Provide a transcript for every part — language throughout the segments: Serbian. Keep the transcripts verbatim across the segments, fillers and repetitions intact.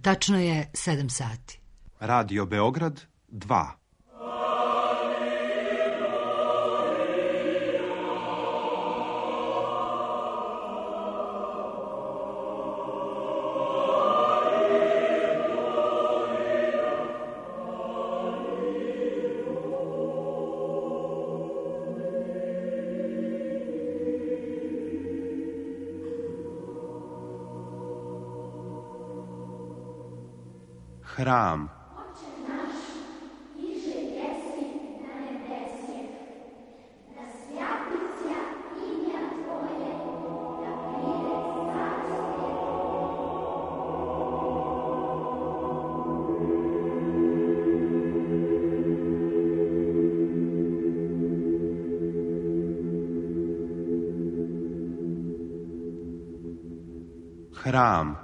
Tačno je sedam sati. Radio Beograd dva. Hram. Hram.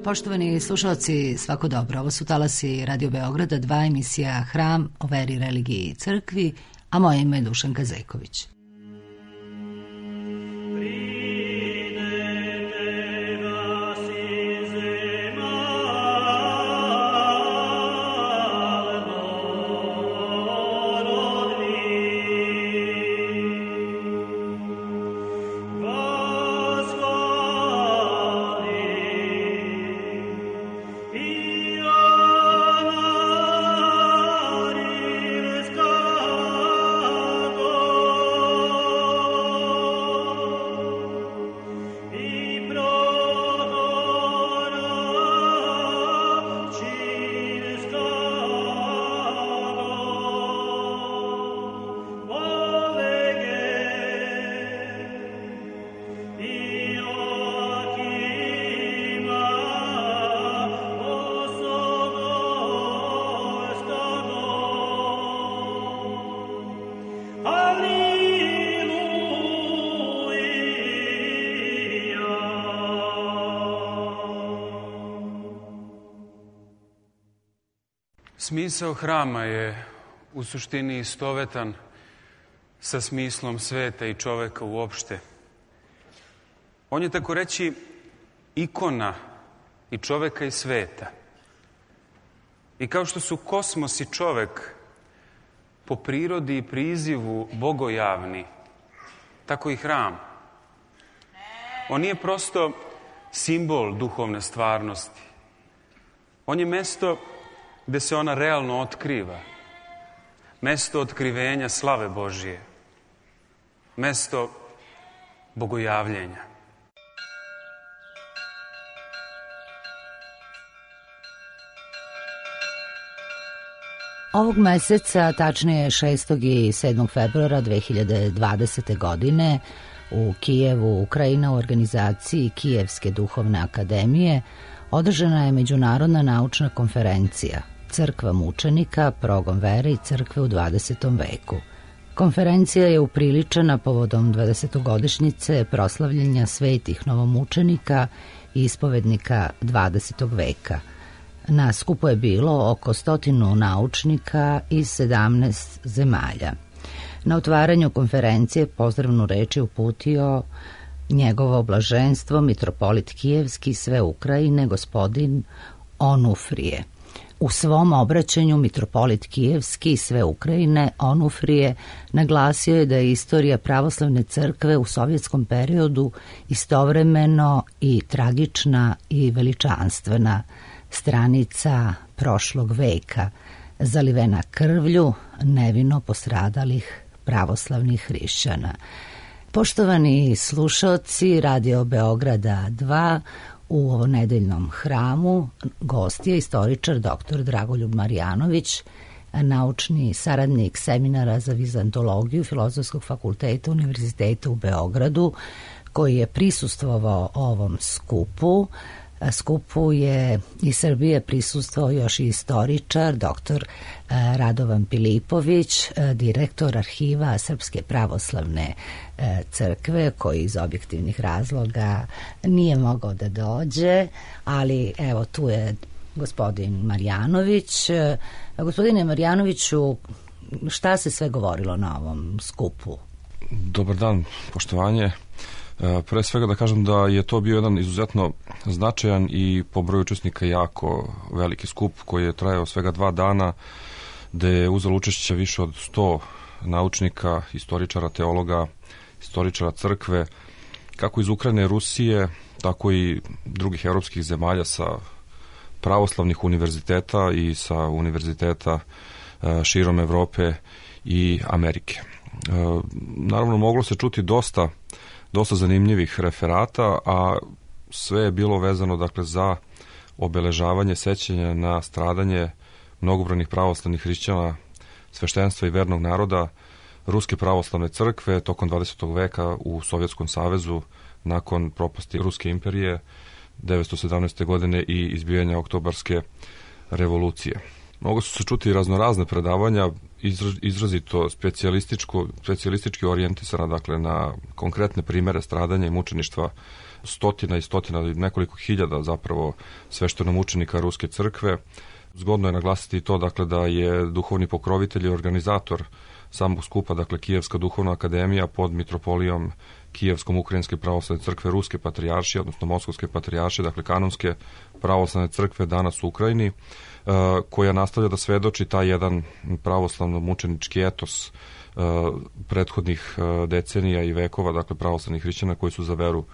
Poštovani slušalci, svako dobro. Ovo su talasi Radio Beograda, dva, emisija Hram o veri, religiji i crkvi, a moje ime je Dušanka Zejković. Smisao hrama je u suštini istovetan sa smislom sveta i čoveka uopšte. On je, tako reći, ikona i čoveka i sveta. I kao što su kosmos i čovek po prirodi i prizivu bogojavni, tako i hram. On nije prosto simbol duhovne stvarnosti. On je mesto gde se ona realno otkriva. Mesto otkrivenja slave Božije. Mesto bogojavljenja. Ovog meseca, tačnije šestog i sedmog februara dve hiljade dvadesete. godine, u Kijevu, Ukrajina, u organizaciji Kijevske duhovne akademije, održana je međunarodna naučna konferencija Crkva mučenika, progon vere i crkve u dvadesetom veku. Konferencija je upriličena povodom dvadesetogodišnjice proslavljenja svetih novomučenika i ispovednika dvadesetog veka. Na skupu je bilo oko stotinu naučnika iz sedamnaest zemalja. Na otvaranju konferencije pozdravnu reč je uputio njegovo blaženstvo mitropolit Kijevski sve Ukrajine, gospodin Onufrije. U svom obraćanju mitropolit Kijevski sve Ukrajine Onufrije naglasio je da je istorija pravoslavne crkve u sovjetskom periodu istovremeno i tragična i veličanstvena, stranica prošlog veka, zalivena krvlju nevino postradalih pravoslavnih hrišćana. Poštovani slušaoci Radio Beograda dva, u ovom nedeljnom hramu gost je istoričar doktor Dragoljub Marjanović, naučni saradnik seminara za vizantologiju Filozofskog fakulteta Univerziteta u Beogradu, koji je prisustvovao ovom skupu. Skupu je iz Srbije prisustvovao još i istoričar doktor Radovan Pilipović, direktor arhiva Srpske pravoslavne crkve, koji iz objektivnih razloga nije mogao da dođe, ali evo tu je gospodin Marjanović. Gospodine Marjanoviću, šta se sve govorilo na ovom skupu? Dobar dan, poštovanje. Pre svega da kažem da je to bio jedan izuzetno značajan i po broju učesnika jako veliki skup koji je trajao svega dva dana, gde je uzelo učešće više od sto naučnika, istoričara, teologa, istoričara crkve, kako iz Ukrajine i Rusije, tako i drugih evropskih zemalja sa pravoslavnih univerziteta i sa univerziteta širom Evrope i Amerike. Naravno, moglo se čuti dosta dosta zanimljivih referata, a sve je bilo vezano dakle za obeležavanje sećanja na stradanje mnogobrojnih pravoslavnih hrišćana, sveštenstva i vernog naroda Ruske pravoslavne crkve tokom dvadesetog veka u Sovjetskom savezu nakon propasti Ruske imperije devetsto sedamnaeste. godine i izbijanja Oktobarske revolucije. Mogu su se čuti raznorazne predavanja, izrazito specijalističko, specijalistički orijentisana dakle, na konkretne primere stradanja i mučeništva stotina i stotina, nekoliko hiljada zapravo sveštenomučenika Ruske crkve. Zgodno je naglasiti to dakle, da je duhovni pokrovitelj i organizator samog skupa, dakle Kijevska duhovna akademija pod mitropolijom Kijevskom Ukrajinske pravoslavne crkve Ruske patrijaršije, odnosno Moskovske patrijaršije, dakle kanonske pravoslavne crkve danas u Ukrajini, koja nastavlja da svedoči taj jedan pravoslavno mučenički etos prethodnih decenija i vekova, dakle pravoslavnih hrišćana koji su za veru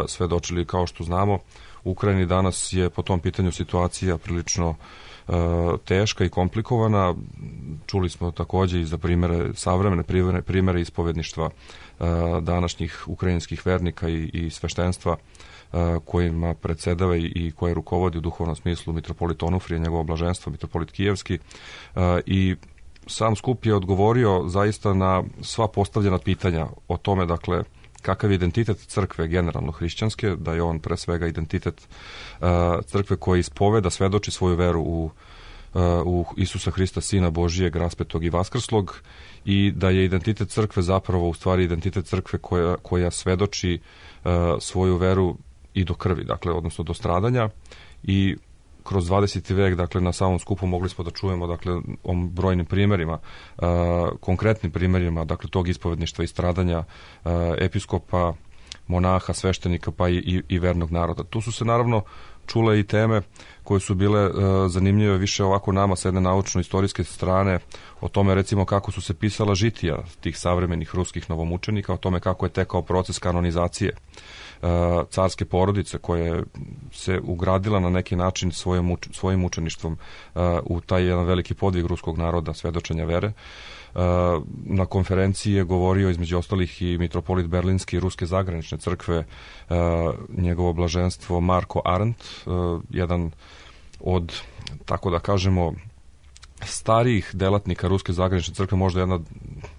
svedočili. Kao što znamo, u Ukrajini danas je po tom pitanju situacija prilično teška i komplikovana. Čuli smo takođe i za primere, savremene primere, primere ispovedništva današnjih ukrajinskih vernika i, i sveštenstva kojima predsedava i koje rukovodi u duhovnom smislu mitropolit Onufrije, njegovo blaženstvo, mitropolit Kijevski, i sam skup je odgovorio zaista na sva postavljena pitanja o tome, dakle, kakav je identitet crkve generalno hrišćanske, da je on pre svega identitet crkve koji ispoveda, svedoči svoju veru u u Isusa Hrista, Sina Božijeg, raspetog i vaskrslog, i da je identitet crkve zapravo u stvari identitet crkve koja, koja svedoči uh, svoju veru i do krvi, dakle, odnosno do stradanja. I kroz dvadeseti vek, dakle, na samom skupu mogli smo da čujemo, dakle, o brojnim primerima, uh, konkretnim primerima, dakle, tog ispovedništva i stradanja uh, episkopa, monaha, sveštenika, pa i, i, i vernog naroda. Tu su se naravno čule i teme koje su bile uh, zanimljive više ovako nama sa jedne naučno-istorijske strane, o tome recimo kako su se pisala žitija tih savremenih ruskih novomučenika, o tome kako je tekao proces kanonizacije uh, carske porodice koja se ugradila na neki način svojim, uč, svojim učeništvom uh, u taj jedan veliki podvig ruskog naroda, svedočenja vere. Na konferenciji je govorio između ostalih i mitropolit Berlinski Ruske zagranične crkve, njegovo blaženstvo Marko Arndt, jedan od, tako da kažemo, starijih delatnika Ruske zagranične crkve, možda jedna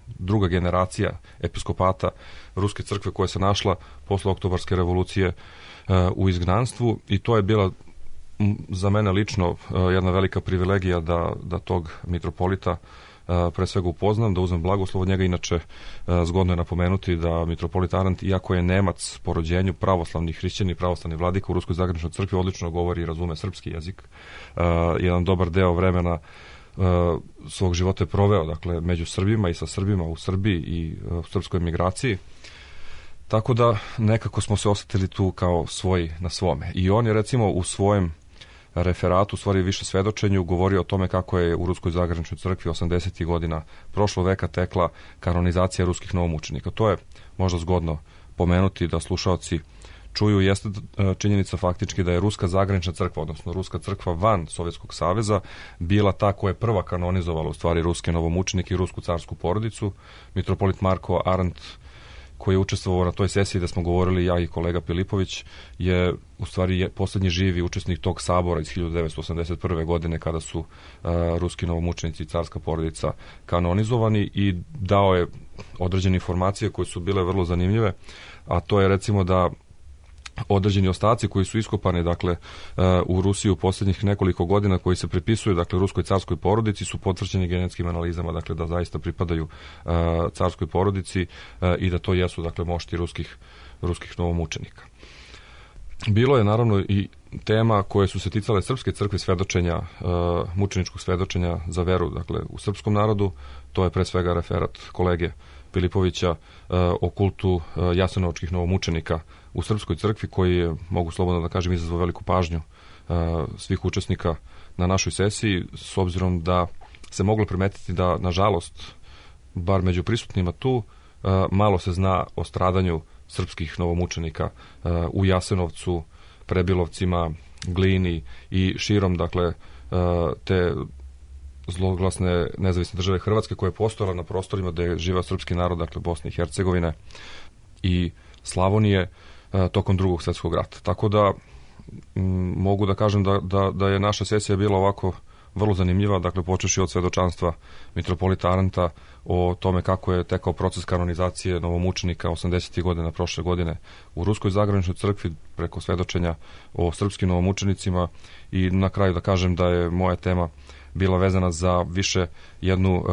druga generacija episkopata Ruske crkve koja se našla posle Oktobarske revolucije u izgnanstvu, i to je bila za mene lično jedna velika privilegija da, da tog mitropolita pre svega upoznam, da uzmem blagoslov od njega. Inače, zgodno je napomenuti da mitropolit Arndt, iako je Nemac po rođenju, pravoslavni hrišćani i pravoslavni vladika u Ruskoj zagraničnoj crkvi, odlično govori i razume srpski jezik. Jedan dobar deo vremena svog života je proveo, dakle, među Srbima i sa Srbima u Srbiji i u srpskoj emigraciji. Tako da nekako smo se osetili tu kao svoji na svome. I on je recimo u svojem referatu, u stvari više svedočenju, govorio o tome kako je u Ruskoj zagraničnoj crkvi osamdesetih godina prošlog veka tekla kanonizacija ruskih novomučenika. To je možda zgodno pomenuti da slušaoci čuju jeste činjenica faktički da je Ruska zagranična crkva, odnosno Ruska crkva van Sovjetskog saveza, bila ta koja je prva kanonizovala u stvari ruske novomučenike i rusku carsku porodicu. Mitropolit Marko Arendt, koji je učestvovao na toj sesiji da smo govorili ja i kolega Pilipović, je u stvari je poslednji živi učesnik tog sabora iz hiljadu devetsto osamdeset prve. godine kada su uh, ruski novomučenici i carska porodica kanonizovani, i dao je određene informacije koje su bile vrlo zanimljive, a to je recimo da određeni ostaci koji su iskopani dakle u Rusiji u posljednjih nekoliko godina, koji se pripisuju dakle ruskoj carskoj porodici, su potvrđeni genetskim analizama, dakle da zaista pripadaju uh, carskoj porodici uh, i da to jesu dakle mošti ruskih ruskih novomučenika. Bilo je naravno i tema koje su se ticale srpske crkve, svedočenja, uh, mučeničkog svedočenja za veru dakle u srpskom narodu. To je pre svega referat kolege Pilipovića uh, o kultu uh, jasenovačkih novomučenika u srpskoj crkvi, koji je, mogu slobodno da kažem, izazvao veliku pažnju uh, svih učesnika na našoj sesiji, s obzirom da se moglo primetiti da, nažalost, bar među prisutnima tu, uh, malo se zna o stradanju srpskih novomučenika uh, u Jasenovcu, Prebilovcima, Glini i širom, dakle, uh, te zloglasne nezavisne države Hrvatske, koja je postojala na prostorima gde je živeo srpski narod, dakle Bosne i Hercegovine i Slavonije, tokom drugog svjetskog rata. Tako da m, mogu da kažem da, da, da je naša sesija bila ovako vrlo zanimljiva, dakle počeši od svedočanstva mitropolita Arenta o tome kako je tekao proces kanonizacije novomučenika osamdesetih godina prošle godine u Ruskoj zagraničnoj crkvi, preko svedočenja o srpskim novomučenicima, i na kraju da kažem da je moja tema bila vezana za više jednu uh,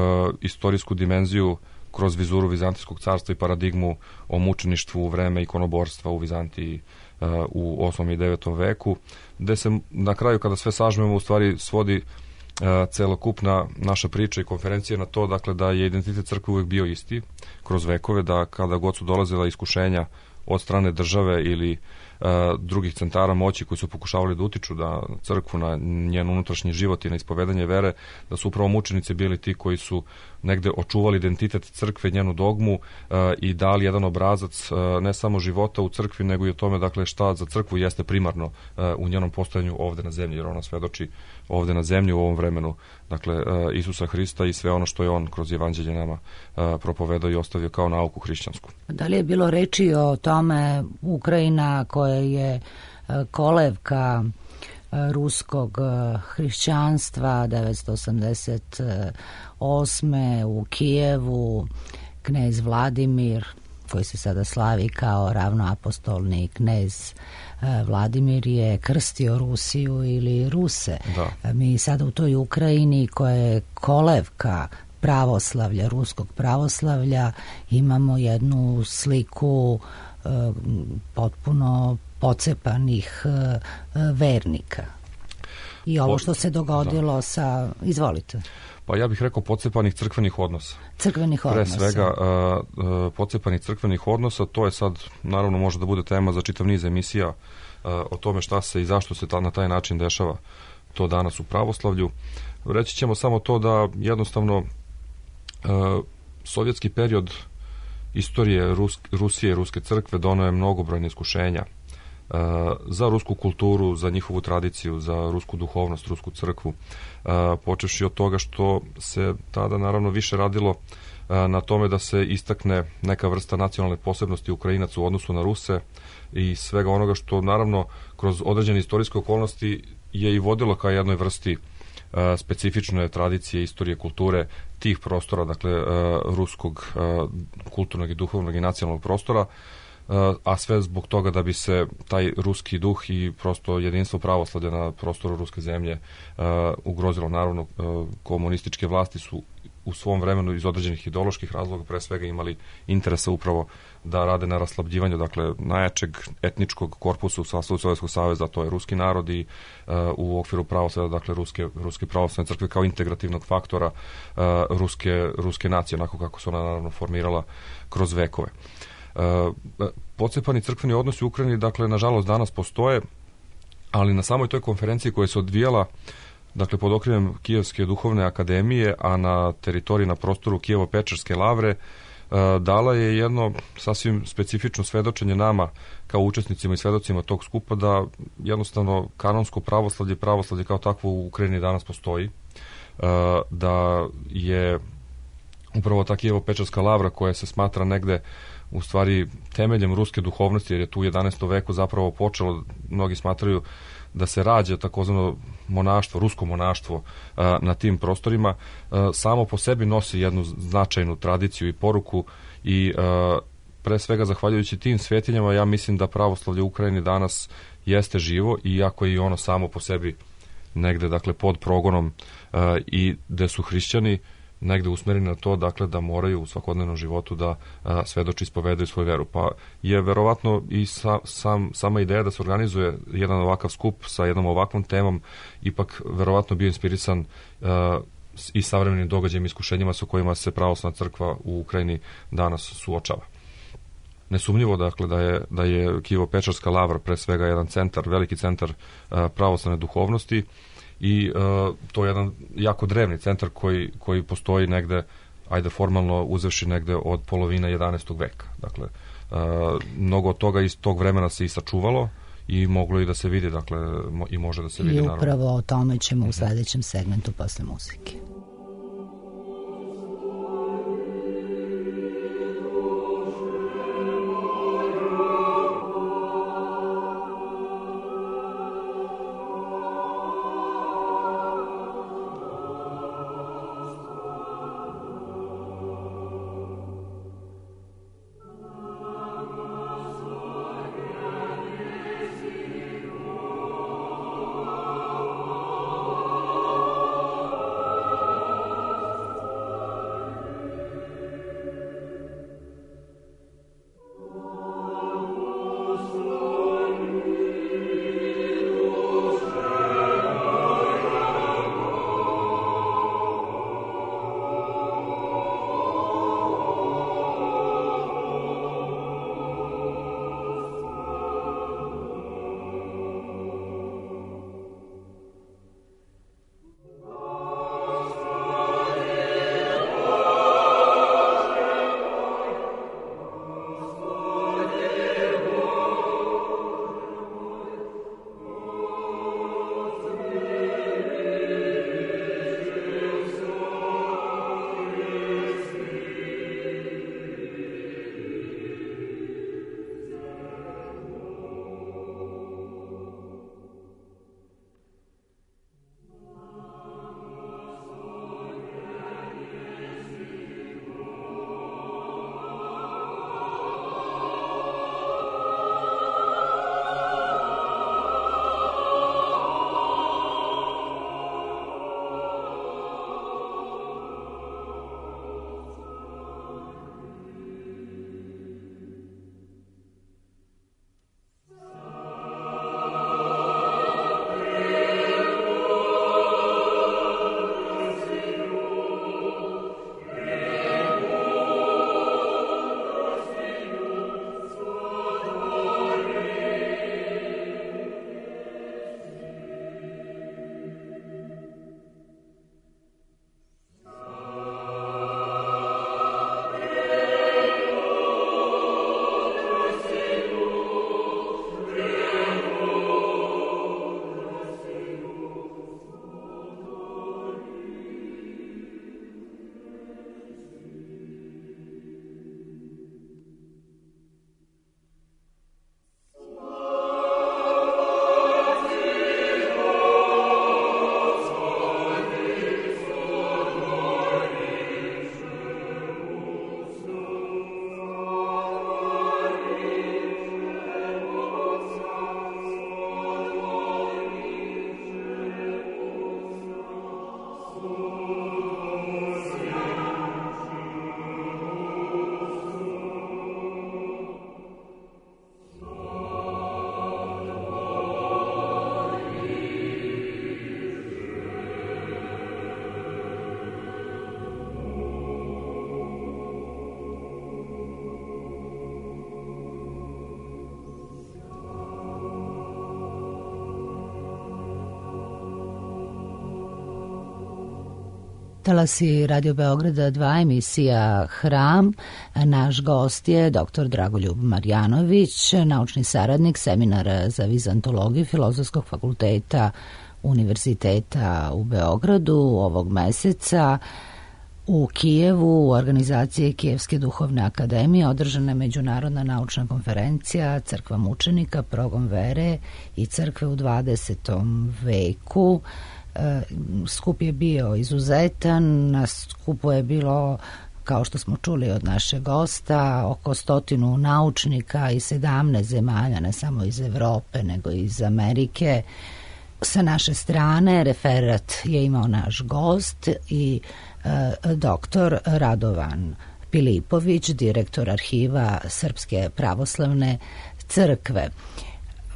istorijsku dimenziju kroz vizuru Vizantijskog carstva i paradigmu o mučeništvu u vreme ikonoborstva u Vizantiji uh, u osmom i devetom veku, gde se na kraju, kada sve sažmemo, u stvari svodi uh, celokupna naša priča i konferencija na to, dakle, da je identitet crkve uvijek bio isti kroz vekove, da kada god su dolazila iskušenja od strane države ili uh, drugih centara moći koji su pokušavali da utiču da crkvu, na njen unutrašnji život i na ispovedanje vere, da su upravo mučenici bili ti koji su negde očuvali identitet crkve, njenu dogmu uh, i dali jedan obrazac uh, ne samo života u crkvi, nego i o tome, dakle, šta za crkvu jeste primarno uh, u njenom postojanju ovde na zemlji, jer ona svedoči ovde na zemlji u ovom vremenu, dakle, uh, Isusa Hrista i sve ono što je on kroz evanđelje nama uh, propovedao i ostavio kao nauku hrišćansku. Da li je bilo reči o tome Ukrajina, koja je uh, kolevka ruskog hrišćanstva, devetsto osamdeset osme u Kijevu, knez Vladimir, koji se sada slavi kao ravnoapostolni knez Vladimir, je krstio Rusiju ili Ruse. Da. Mi sada u toj Ukrajini, koja je kolevka pravoslavlja, ruskog pravoslavlja, imamo jednu sliku e, potpuno pocepanih e, vernika. I ovo što se dogodilo da. sa... Izvolite. Pa ja bih rekao pocepanih crkvenih odnosa. Crkvenih odnosa. Pre svega uh, uh, pocepanih crkvenih odnosa, to je sad, naravno, može da bude tema za čitav niz emisija uh, o tome šta se i zašto se ta, na taj način dešava to danas u pravoslavlju. Reći ćemo samo to da jednostavno uh, sovjetski period istorije Rus, Rusije i Ruske crkve doneo je mnogobrojne iskušenja uh, za rusku kulturu, za njihovu tradiciju, za rusku duhovnost, rusku crkvu, uh, počevši od toga što se tada naravno više radilo uh, na tome da se istakne neka vrsta nacionalne posebnosti Ukrajinaca u odnosu na Ruse i svega onoga što naravno kroz određene istorijske okolnosti je i vodilo ka jednoj vrsti uh, specifične tradicije, istorije, kulture tih prostora, dakle uh, ruskog uh, kulturnog i duhovnog i nacionalnog prostora, a sve zbog toga da bi se taj ruski duh i prosto jedinstvo pravoslavlja na prostoru ruske zemlje uh, ugrozilo. Naravno, uh, komunističke vlasti su u svom vremenu iz određenih ideoloških razloga pre svega imali interesa upravo da rade na raslabljivanju, dakle, najjačeg etničkog korpusa u sastavu Sovjetskog saveza, to je ruski narod, i uh, u okviru pravoslavlja, dakle, ruske, ruske pravoslavne crkve kao integrativnog faktora uh, ruske, ruske nacije, onako kako su ona naravno formirala kroz vekove. Uh, pocepani crkveni odnosi u Ukrajini, dakle, nažalost danas postoje, ali na samoj toj konferenciji koja se odvijala, dakle, pod okriljem Kijevske duhovne akademije, a na teritoriji, na prostoru Kijevo-Pečerske lavre, dala je jedno sasvim specifično svedočenje nama kao učesnicima i svedocima tog skupa da jednostavno kanonsko pravoslavlje i pravoslavlje kao takvo u Ukrajini danas postoji, da je upravo ta Kijevo-Pečarska lavra koja se smatra negde u stvari temeljem ruske duhovnosti, jer je tu u jedanaestom veku zapravo počelo, mnogi smatraju da se rađa takozvano monaštvo, rusko monaštvo na tim prostorima, samo po sebi nosi jednu značajnu tradiciju i poruku i pre svega zahvaljujući tim svetinjama ja mislim da pravoslavlje u Ukrajini danas jeste živo, iako je i ono samo po sebi negde dakle pod progonom i gde su hrišćani negde usmereni na to, dakle, da moraju u svakodnevnom životu da a, svedoči ispovedaju svoju veru. Pa je verovatno i sa, sam, sama ideja da se organizuje jedan ovakav skup sa jednom ovakvom temom ipak verovatno bio inspirisan a, i savremenim događajima i iskušenjima sa kojima se pravoslavna crkva u Ukrajini danas suočava. Nesumnjivo, dakle, da je, da je Kijevo-Pečarska lavra pre svega jedan centar, veliki centar a, pravoslavne duhovnosti, i uh, to je jedan jako drevni centar koji, koji postoji negde, ajde formalno uzevši negde od polovine jedanaestog veka. Dakle, uh, mnogo od toga iz tog vremena se i sačuvalo i moglo i da se vidi, dakle, mo, i može da se vidi. I upravo naravno o tome ćemo u sledećem segmentu posle muzike. Talasi Radio Beograda dva, emisija Hram. Naš gost je doktor Dragoljub Marjanović, naučni saradnik Seminara za vizantologiju Filozofskog fakulteta Univerziteta u Beogradu. Ovog meseca u Kijevu u organizaciji Kijevske duhovne akademije održana je međunarodna naučna konferencija Crkva mučenika, progon vere i crkve u dvadesetom veku. Skup je bio izuzetan, na skupu je bilo, kao što smo čuli od našeg gosta, oko stotinu naučnika iz sedamnaest zemalja, ne samo iz Evrope, nego i iz Amerike. Sa naše strane referat je imao naš gost i e, doktor Radovan Pilipović, direktor arhiva Srpske pravoslavne crkve.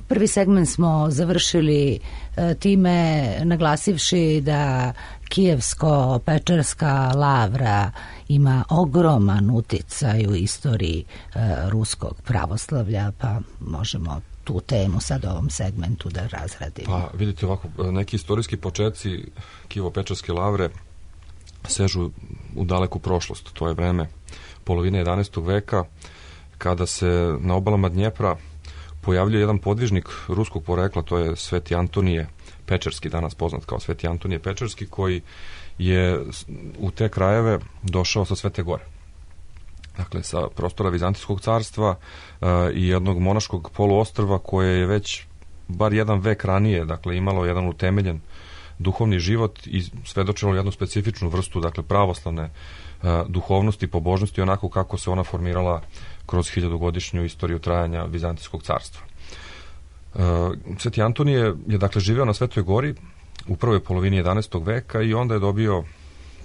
Prvi segment smo završili e, time naglasivši da Kijevsko-Pečerska lavra ima ogroman uticaj u istoriji e, ruskog pravoslavlja, pa možemo tu temu sad u ovom segmentu da razradimo. Pa vidite ovako, neki istorijski početci Kijevo-Pečerske lavre sežu u daleku prošlost. To je vreme polovine jedanaestog veka, kada se na obalama Dnjepra pojavljuje jedan podvižnik ruskog porekla, to je Sveti Antonije Pečerski, danas poznat kao Sveti Antonije Pečerski, koji je u te krajeve došao sa Svete Gore. Dakle, sa prostora Vizantijskog carstva uh, i jednog monaškog poluostrva koje je već bar jedan vek ranije, dakle, imalo jedan utemeljen duhovni život i svedočilo jednu specifičnu vrstu, dakle, pravoslavne uh, duhovnosti, pobožnosti, onako kako se ona formirala kroz hiljadugodišnju istoriju trajanja Vizantijskog carstva. Uh, Sveti Antonije je, dakle, živeo na Svetoj Gori u prvoj polovini jedanaestog veka i onda je dobio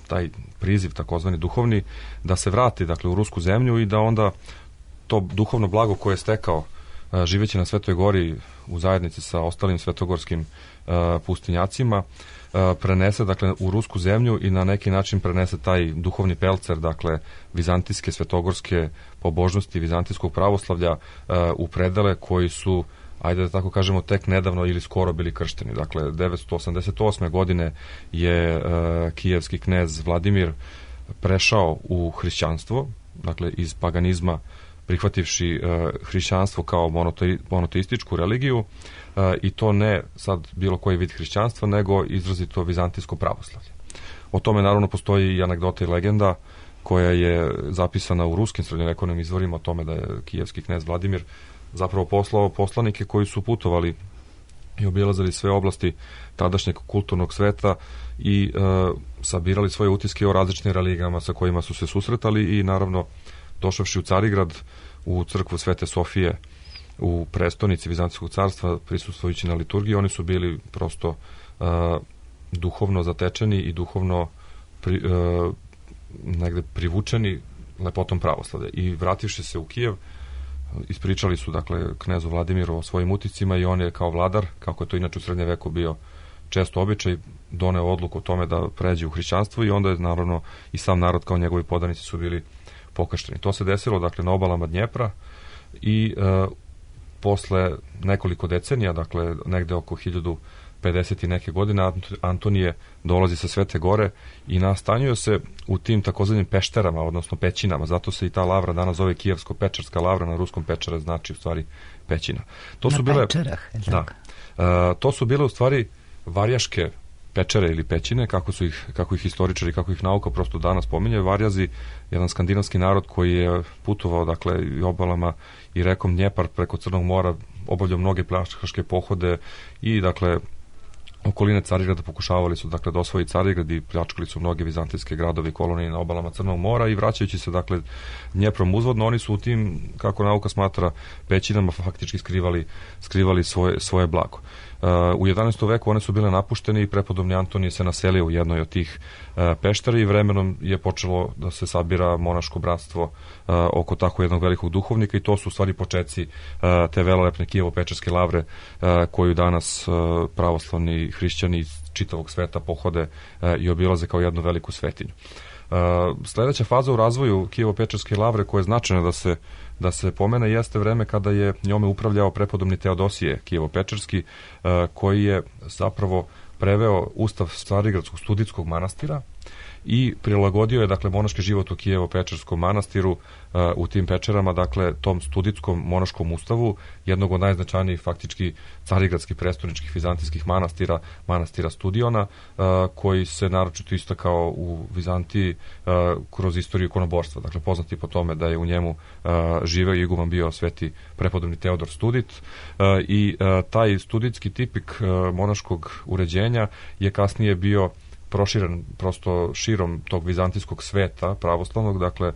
taj priziv, takozvani duhovni, da se vrati, dakle, u rusku zemlju i da onda to duhovno blago koje je stekao uh, živeći na Svetoj Gori u zajednici sa ostalim svetogorskim uh, pustinjacima uh, prenese, dakle, u rusku zemlju i na neki način prenese taj duhovni pelcer, dakle, vizantijske, svetogorske pobožnosti, vizantijskog pravoslavlja uh, u predele koji su, ajde da tako kažemo, tek nedavno ili skoro bili kršteni. Dakle, devetsto osamdeset osme godine je uh, kijevski knez Vladimir prešao u hrišćanstvo, dakle, iz paganizma prihvativši uh, hrišćanstvo kao monotei, monoteističku religiju uh, i to ne sad bilo koji vid hrišćanstva, nego izrazito vizantijsko pravoslavlje. O tome naravno postoji i anegdota i legenda koja je zapisana u ruskim srednjovekovnim izvorima o tome da je kijevski knez Vladimir zapravo poslao poslanike koji su putovali i obilazili sve oblasti tadašnjeg kulturnog sveta i e, sabirali svoje utiske o različitim religijama sa kojima su se susretali i naravno došavši u Carigrad, u crkvu Svete Sofije u prestonici Vizantijskog carstva, prisustvujući na liturgiji, oni su bili prosto e, duhovno zatečeni i duhovno pri, e, negde privučeni lepotom pravoslavlja. I vrativši se u Kijev, ispričali su, dakle, knezu Vladimiru o svojim uticima i on je kao vladar, kako je to inače u srednjem veku bio često običaj, doneo odluku o tome da pređe u hrišćanstvo i onda je naravno i sam narod kao njegovi podanici su bili pokršteni. To se desilo, dakle, na obalama Dnjepra i e, posle nekoliko decenija, dakle, negde oko hiljadu pedeset i neke godine, Antonije dolazi sa Svete Gore i nastanjuje se u tim takozvanim pešterama, odnosno pećinama. Zato se i ta lavra danas zove Kijevsko-Pečerska lavra, na ruskom pečera znači u stvari pećina. To na su bile, pečerah, da, uh, to su bile u stvari varjaške pečere ili pećine, kako su ih, kako ih historičari, kako ih nauka prosto danas pominjaju. Varjazi, jedan skandinavski narod koji je putovao, dakle, i obalama i rekom Dnjepar preko Crnog mora, obavljao mnoge pljačkaške pohode i, dakle, okoline Carigrada pokušavali su, dakle, da osvoji Carigrad i pljačkali su mnoge vizantijske gradovi i kolonije na obalama Crnog mora i vraćajući se, dakle, Dnjeprom uzvodno, oni su u tim, kako nauka smatra, pećinama faktički skrivali, skrivali svoje, svoje blago. Uh, u jedanaestom veku one su bile napuštene i prepodobni Antonije se naselio u jednoj od tih uh, peštara i vremenom je počelo da se sabira monaško bratstvo uh, oko tako jednog velikog duhovnika i to su u stvari počeci uh, te velelepne Kijevo-Pečerske lavre uh, koju danas uh, pravoslavni hrišćani iz čitavog sveta pohode uh, i obilaze kao jednu veliku svetinju. Uh, sledeća faza u razvoju Kijevo-Pečerske lavre koja je značajna da se da se pomene jeste vreme kada je njome upravljao prepodobni Teodosije Kijevo-Pečerski, koji je zapravo preveo ustav Carigradskog studijskog manastira i prilagodio je dakle monaški život u Kijevo-Pečerskom manastiru u tim pečerama, dakle tom studijskom monaškom ustavu, jednog od najznačajnijih faktički carigradskih prestolničkih vizantijskih manastira, manastira Studiona, koji se naročito istakao u Vizantiji kroz istoriju ikonoborstva. Dakle, poznati po tome da je u njemu živeo iguman bio sveti prepodobni Teodor Studit i taj studitski tipik monaškog uređenja je kasnije bio proširen prosto širom tog vizantijskog sveta pravoslavnog, dakle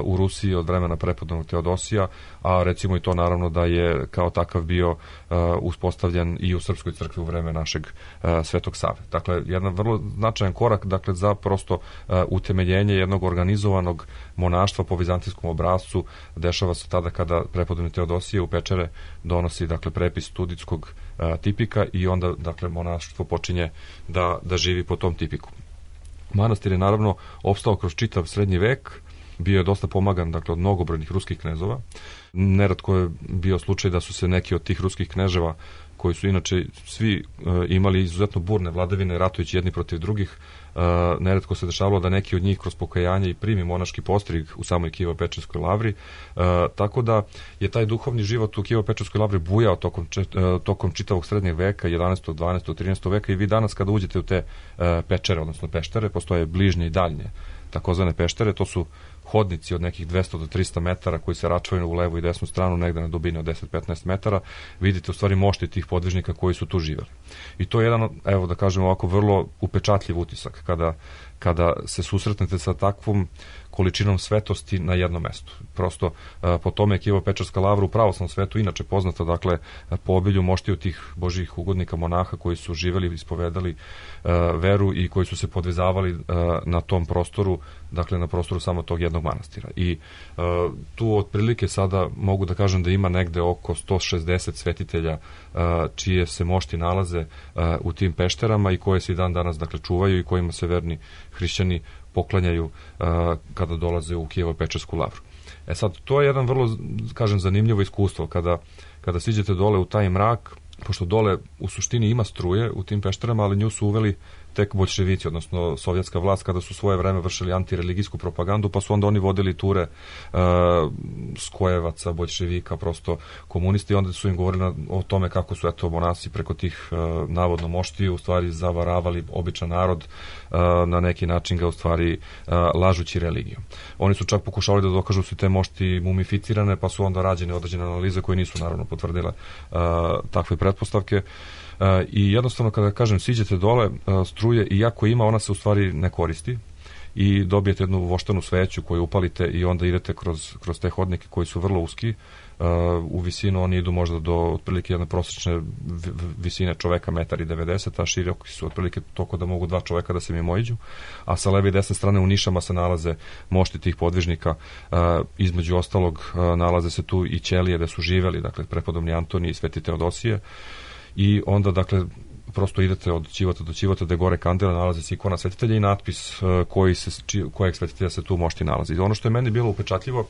u Rusiji od vremena prepodobnog Teodosija, a recimo i to naravno da je kao takav bio uspostavljen i u Srpskoj crkvi u vreme našeg Svetog Save. Dakle, jedan vrlo značajan korak dakle za prosto utemeljenje jednog organizovanog monaštva po vizantijskom obrascu dešava se tada kada prepodobni Teodosije u Pečere donosi dakle prepis studitskog tipika i onda dakle monaštvo počinje da, da živi po tom tipiku. Manastir je naravno opstao kroz čitav srednji vek, bio je dosta pomagan dakle od mnogobrojnih ruskih knezova. Neretko je bio slučaj da su se neki od tih ruskih kneževa, koji su inače svi e, imali izuzetno burne vladavine ratujući jedni protiv drugih, e, neretko se dešavalo da neki od njih kroz pokajanje i primi monaški postrig u samoj Kijevo-Pečerskoj lavri, e, tako da je taj duhovni život u Kijevo-Pečerskoj lavri bujao tokom, če, e, tokom čitavog srednjeg veka, jedanaestog, dvanaestog, trinaestog veka, i vi danas kada uđete u te e, pečere, odnosno peštere, postoje bližnje i daljnje takozvane peštere, to su hodnici od nekih dvesta do trista metara koji se račvaju u levu i desnu stranu, negde na dubini od deset do petnaest metara, vidite u stvari mošti tih podvižnika koji su tu živeli. I to je jedan, evo da kažemo ovako, vrlo upečatljiv utisak kada, kada se susretnete sa takvom količinom svetosti na jednom mestu. Prosto po tome je Kijevo-Pečerska lavra u pravoslavnom svetu inače poznata, dakle po obilju moštiju tih božjih ugodnika monaha koji su živeli i ispovedali uh, veru i koji su se podvezavali uh, na tom prostoru, dakle na prostoru samo tog jednog manastira. I uh, tu otprilike sada mogu da kažem da ima negde oko sto šezdeset svetitelja uh, čije se mošti nalaze uh, u tim pešterama i koje se i dan danas dakle čuvaju i kojima se verni hrišćani poklanjaju uh, kada dolaze u Kijevo-Pečersku lavru. E sad, to je jedan vrlo, kažem, zanimljivo iskustvo kada, kada siđete dole u taj mrak, pošto dole u suštini ima struje u tim pešterama, ali nju su uveli tek boljševici, odnosno sovjetska vlast, kada su svoje vreme vršili antireligijsku propagandu, pa su onda oni vodili ture uh, skojevaca, boljševika, prosto komunisti, i onda su im govorili o tome kako su eto monasi preko tih uh, navodno moštiju u stvari zavaravali običan narod, uh, na neki način ga u stvari uh, lažući religiju. Oni su čak pokušali da dokažu su te mošti mumificirane, pa su onda rađene određene analize koje nisu naravno potvrdile uh, takve pretpostavke. Uh, i jednostavno kada kažem siđete dole uh, struje, iako ima, ona se u stvari ne koristi i dobijete jednu voštanu sveću koju upalite i onda idete kroz, kroz te hodnike koji su vrlo uski. Uh, u visinu oni idu možda do otprilike jedne prosječne visine čoveka metar i devedeset, a široki su otprilike toliko da mogu dva čoveka da se mimoiđu, a sa leve i desne strane u nišama se nalaze mošti tih podvižnika, uh, između ostalog uh, nalaze se tu i ćelije da su živeli, dakle prepodobni Antonij i sveti Teodosije. I onda, dakle, prosto idete od ćivota do ćivota gde gore kandela nalazi se ikona svetitelja i natpis uh, koji se, či, kojeg svetitelja se tu mošti nalazi. Ono što je meni bilo upečatljivo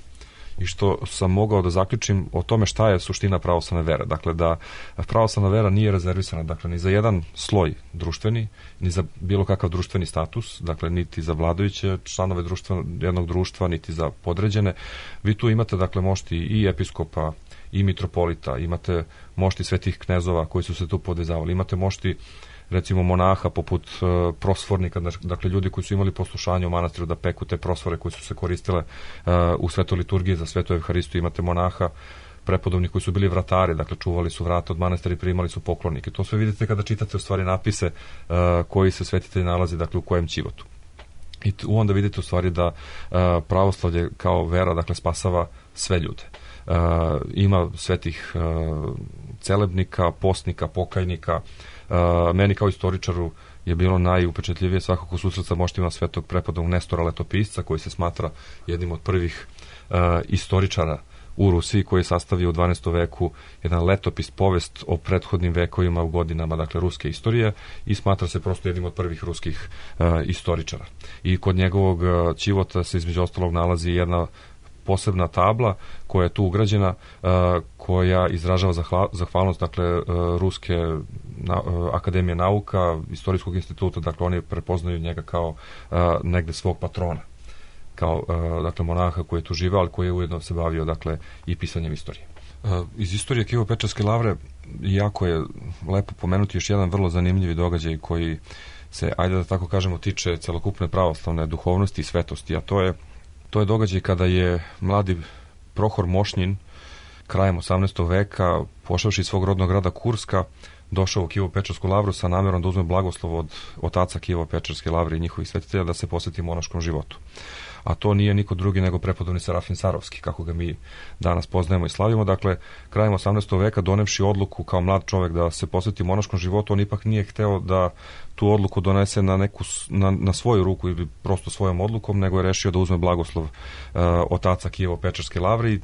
i što sam mogao da zaključim o tome šta je suština pravoslavne vere. Dakle, da pravoslavna vera nije rezervisana, dakle, ni za jedan sloj društveni, ni za bilo kakav društveni status, dakle, niti za vladajuće članove društva, jednog društva, niti za podređene. Vi tu imate, dakle, mošti i episkopa, i mitropolita, imate mošti svetih knezova koji su se tu podvezavali, imate mošti recimo monaha poput uh, prosvornika, dakle ljudi koji su imali poslušanje u manastiru da peku te prosvore koje su se koristile uh, u svetoj liturgiji za svetu evharistiju, imate monaha prepodobni koji su bili vratari, dakle čuvali su vrata od manastira i primali su poklonike. To sve vidite kada čitate u stvari napise uh, koji se svetitelj nalazi, dakle u kojem ćivotu. I tu onda vidite u stvari da uh, pravoslavlje kao vera, dakle, spasava sve ljude. Uh, ima svetih uh, celebnika, postnika, pokajnika. Uh, meni kao istoričaru je bilo najupečatljivije svakako susret sa moštima svetog prepodobnog Nestora Letopisca, koji se smatra jednim od prvih uh, istoričara u Rusiji, koji je sastavio u dvanaestom veku jedan letopis, povest o prethodnim vekovima u godinama, dakle, ruske istorije, i smatra se prosto jednim od prvih ruskih uh, istoričara. I kod njegovog uh, ćivota se između ostalog nalazi jedna posebna tabla koja je tu ugrađena, uh, koja izražava zahvalnost, dakle, uh, ruske na, Akademije nauka, Istorijskog instituta, dakle oni prepoznaju njega kao negde svog patrona, kao dakle monaha koji je tu živao, ali koji je ujedno se bavio dakle i pisanjem istorije. Iz istorije Kijevo-Pečarske lavre jako je lepo pomenuti još jedan vrlo zanimljivi događaj koji se, ajde da tako kažemo, tiče celokupne pravoslavne duhovnosti i svetosti, a to je, to je događaj kada je mladi Prohor Mošnjin krajem osamnaestog veka, pošavši svog rodnog grada Kurska, došao u Kijevo-Pečarsku lavru sa namerom da uzme blagoslov od otaca Kijevo-Pečarske lavre i njihovih svetitelja da se posveti monaškom životu. A to nije niko drugi nego prepodobni Serafim Sarovski, kako ga mi danas poznajemo i slavimo. Dakle, krajem osamnaestog veka, donevši odluku kao mlad čovjek da se posveti monaškom životu, on ipak nije hteo da tu odluku donese na, neku, na, na svoju ruku ili prosto svojom odlukom, nego je rešio da uzme blagoslov uh, otaca Kijevo-Pečarske lavre i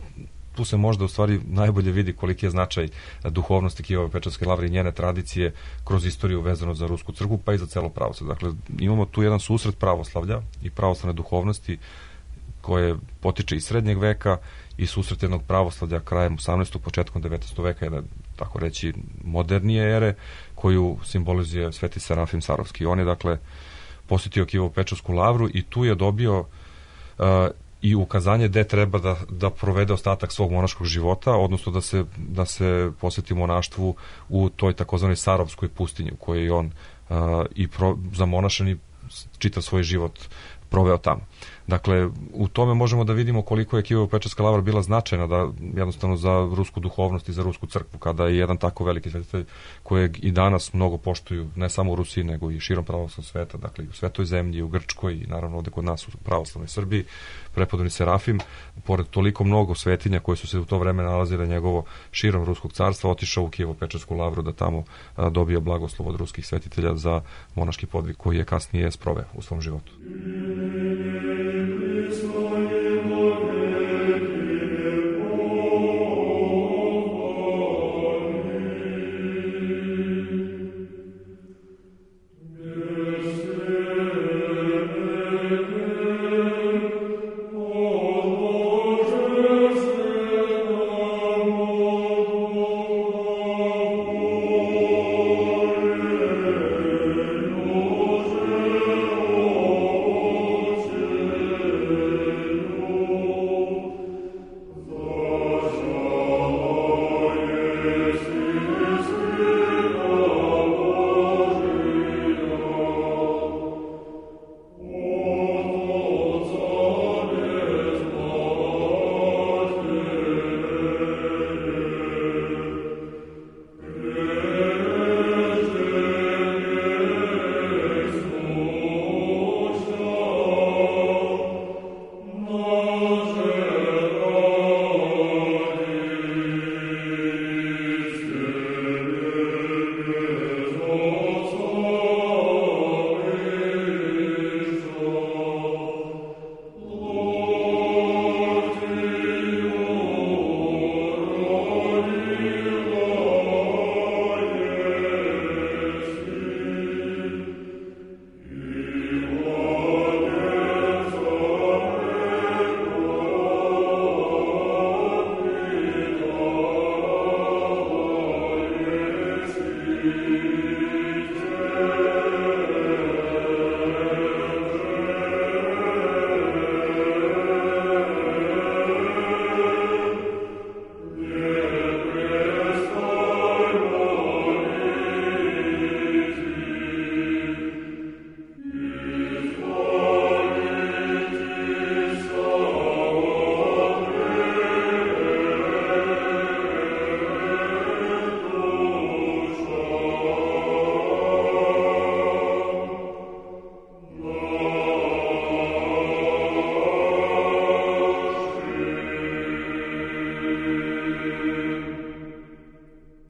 tu se možda u stvari najbolje vidi koliki je značaj duhovnosti Kijevo-Pečarske lavre i njene tradicije kroz istoriju vezano za Rusku crkvu, pa i za celo pravoslavlje. Dakle, imamo tu jedan susret pravoslavlja i pravoslavne duhovnosti koje potiče iz srednjeg veka i susret jednog pravoslavlja krajem osamnaestog početkom devetnaestog veka, jedne, tako reći, modernije ere koju simbolizuje Sveti Serafim Sarovski. On je, dakle, posjetio Kijevo-Pečarsku lavru i tu je dobio uh, i ukazanje gde treba da, da provede ostatak svog monaškog života, odnosno da se, da se posveti monaštvu u toj takozvanoj Sarovskoj pustinji u kojoj je on uh, i pro, zamonašen i čitav svoj život proveo tamo. Dakle, u tome možemo da vidimo koliko je Kijevo-Pečarska lavra bila značajna da jednostavno za rusku duhovnost i za Rusku crkvu, kada je jedan tako veliki svetitelj kojeg i danas mnogo poštuju, ne samo u Rusiji, nego i širom pravoslavnog sveta, dakle i u Svetoj zemlji, u Grčkoj i naravno ovde kod nas u pravoslavnoj Srbiji, prepodobni Serafim, pored toliko mnogo svetinja koji su se u to vreme nalazile njegovo širom Ruskog carstva, otišao u Kijevo-Pečarsku lavru da tamo a, dobio blagoslov od ruskih svetitelja za monaški podvig koji je kasnije sproveo u svom životu.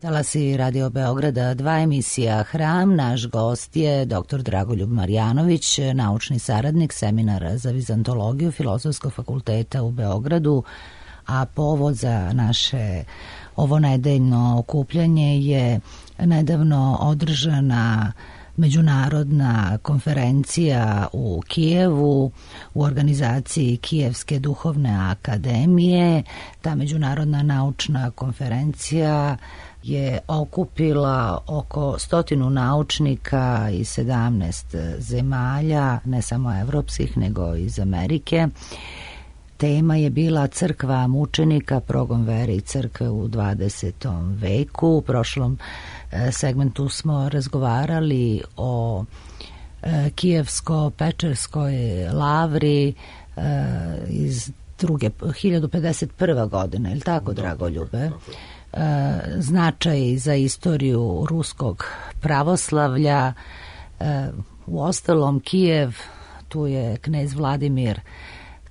Talasi Radio Beograda dva, emisija Hram. Naš gost je doktor Dragoljub Marjanović, naučni saradnik seminara za vizantologiju Filozofskog fakulteta u Beogradu, a povod za naše ovo nedeljno okupljanje je nedavno održana međunarodna konferencija u Kijevu u organizaciji Kijevske duhovne akademije. Ta međunarodna naučna konferencija je okupila oko stotinu naučnika iz sedamnaest zemalja, ne samo evropskih, nego iz Amerike. Tema je bila crkva mučenika, progon vere i crkve u dvadesetom veku. U prošlom segmentu smo razgovarali o Kijevsko-Pečerskoj lavri iz druge, hiljadu pedeset prva godina, je li tako, Dragoljube? Značaj za istoriju ruskog pravoslavlja. U ostalom, Kijev, tu je knez Vladimir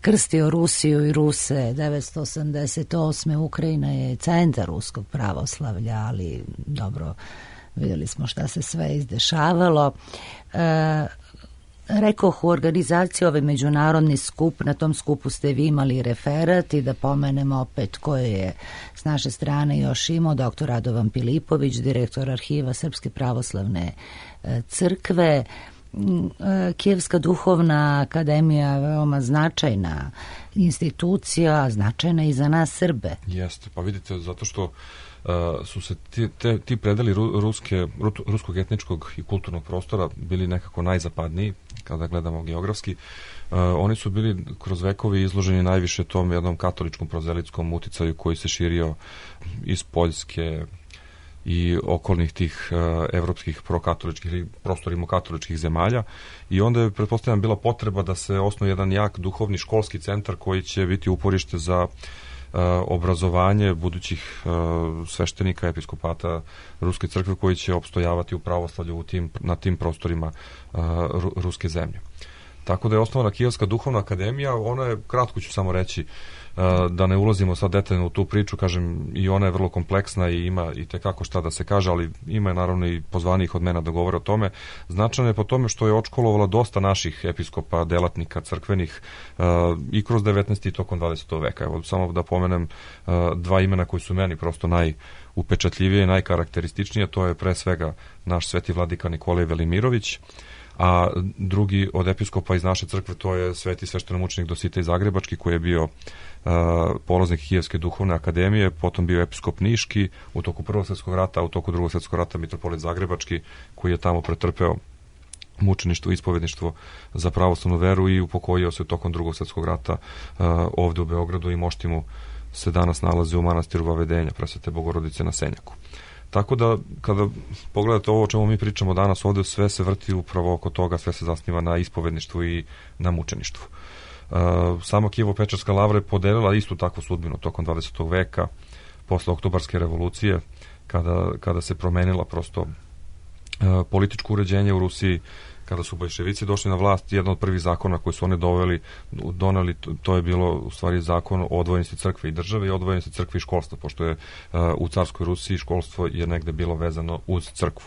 krstio Rusiju i Ruse devetsto osamdeset osme. Ukrajina je centar ruskog pravoslavlja, ali dobro, vidjeli smo šta se sve izdešavalo. E, rekoh, u organizaciji ovaj međunarodni skup, na tom skupu ste vi imali referat i da pomenemo opet koje je s naše strane još imao doktor Radovan Pilipović, direktor arhiva Srpske pravoslavne crkve. Kijevska duhovna akademija veoma značajna institucija, značajna i za nas Srbe. Jeste, pa vidite, zato što uh, su se ti, te, ti predeli ru, ruske, ru, ruskog etničkog i kulturnog prostora bili nekako najzapadniji, kada gledamo geografski. Uh, oni su bili kroz vekovi izloženi najviše tom jednom katoličkom prozelitskom uticaju koji se širio iz Poljske i okolnih tih uh, evropskih prokatoličkih ili prostorimo katoličkih zemalja, i onda je pretpostavljena bila potreba da se osnuje jedan jak duhovni školski centar koji će biti uporište za uh, obrazovanje budućih uh, sveštenika, episkopata Ruske crkve koji će opstojavati u pravoslavlju u tim, na tim prostorima uh, ru, ruske zemlje. Tako da je osnovana Kijevska duhovna akademija. Ona je, kratko ću samo reći, da ne ulazimo sad detaljno u tu priču, kažem, i ona je vrlo kompleksna i ima i tekako šta da se kaže, ali ima je naravno i pozvanijih od mene da govore o tome. Značajno je po tome što je odškolovala dosta naših episkopa, delatnika crkvenih uh, i kroz devetnaesti i tokom dvadesetog veka. Evo, samo da pomenem uh, dva imena koji su meni prosto najupečatljivije i najkarakterističnije. To je pre svega naš sveti vladika Nikolaj Velimirović, a drugi od episkopa iz naše crkve to je sveti sveštenomučenik Dositej Zagrebački, koji je bio uh, polaznik Kijevske duhovne akademije, potom bio episkop Niški u toku Prvog svjetskog rata, a u toku Drugog svjetskog rata mitropolit Zagrebački, koji je tamo pretrpeo mučeništvo i ispovedništvo za pravoslavnu veru i upokojio se tokom Drugog svjetskog rata uh, ovde u Beogradu, i mošti mu se danas nalazi u manastiru Vavedenja Presvete Bogorodice na Senjaku. Tako da, kada pogledate ovo o čemu mi pričamo danas ovde, sve se vrti upravo oko toga, sve se zasniva na ispovedništvu i na mučeništvu. Uh, sama Kijevo-Pečerska lavra je podelila istu takvu sudbinu tokom dvadesetog veka, posle Oktobarske revolucije, kada, kada se promenila prosto uh, političko uređenje u Rusiji, kada su bolševici došli na vlast. Jedan od prvih zakona koji su oni doveli, doneli, to je bilo u stvari zakon o odvojenosti crkve i države i odvojenosti crkve i školstva, pošto je uh, u carskoj Rusiji školstvo je negde bilo vezano uz crkvu.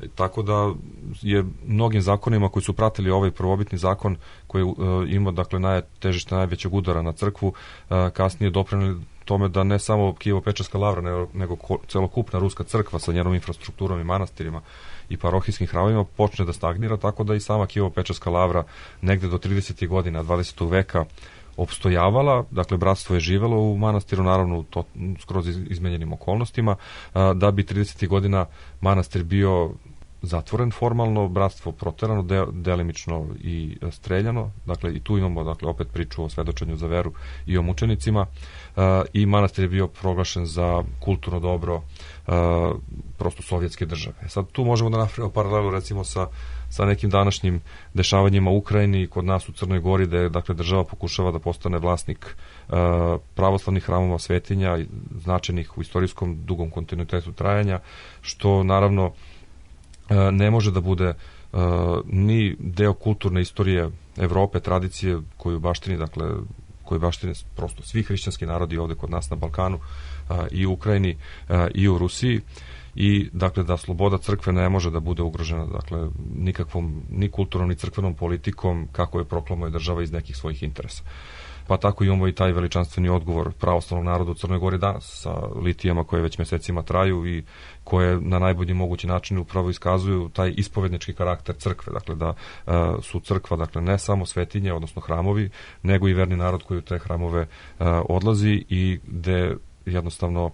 E, tako da je mnogim zakonima koji su pratili ovaj prvobitni zakon koji uh, ima, dakle, najtežište najvećeg udara na crkvu, uh, kasnije doprineli tome da ne samo Kijevo-Pečerska lavra, nego, nego celokupna ruska crkva sa njenom infrastrukturom i manastirima i parohijskim hramovima počne da stagnira, tako da i sama Kijevo-Pečerska lavra negde do tridesetih godina dvadesetog veka opstojavala. Dakle, bratstvo je živelo u manastiru, naravno to skroz izmenjenim okolnostima, da bi tridesetih godina manastir bio zatvoren formalno, bratstvo proterano, de, delimično i streljano. Dakle, i tu imamo, dakle, opet priču o svedočenju za veru i o mučenicima. Uh, I manastir je bio proglašen za kulturno dobro uh, prosto sovjetske države. Sad tu možemo da napravimo paralelu recimo sa, sa nekim današnjim dešavanjima u Ukrajini, kod nas u Crnoj Gori, da je, dakle, država pokušava da postane vlasnik uh, pravoslavnih hramova, svetinja, značajnih u istorijskom dugom kontinuitetu trajanja, što naravno ne može da bude uh, ni deo kulturne istorije Evrope, tradicije koju baštini, dakle, koju baštine prosto svi hrišćanski narodi ovde kod nas na Balkanu, uh, i u Ukrajini uh, i u Rusiji, i dakle da sloboda crkve ne može da bude ugrožena, dakle, nikakvom ni kulturnom ni crkvenom politikom kako je proklamuje država iz nekih svojih interesa. pa tako imamo i taj veličanstveni odgovor pravoslavnog naroda u Crnoj Gori danas sa litijama koje već mesecima traju i koje na najbolji mogući način upravo iskazuju taj ispovednički karakter crkve, dakle da uh, su crkva dakle ne samo svetinje, odnosno hramovi, nego i verni narod koji u te hramove uh, odlazi i gde jednostavno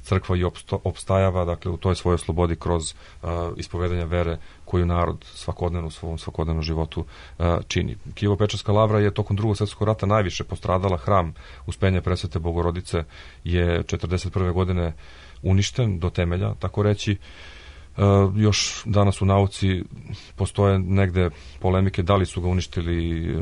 crkva i opstajava dakle u toj svojoj slobodi kroz uh, ispovedanje vere koju narod svakodnevno u svom svakodnevnom životu uh, čini. Kijevo-Pečarska lavra je tokom Drugog svjetskog rata najviše postradala. Hram Uspenja Presvete Bogorodice je četrdeset prve godine uništen do temelja, tako reći. Uh, još danas u nauci postoje negde polemike da li su ga uništili uh,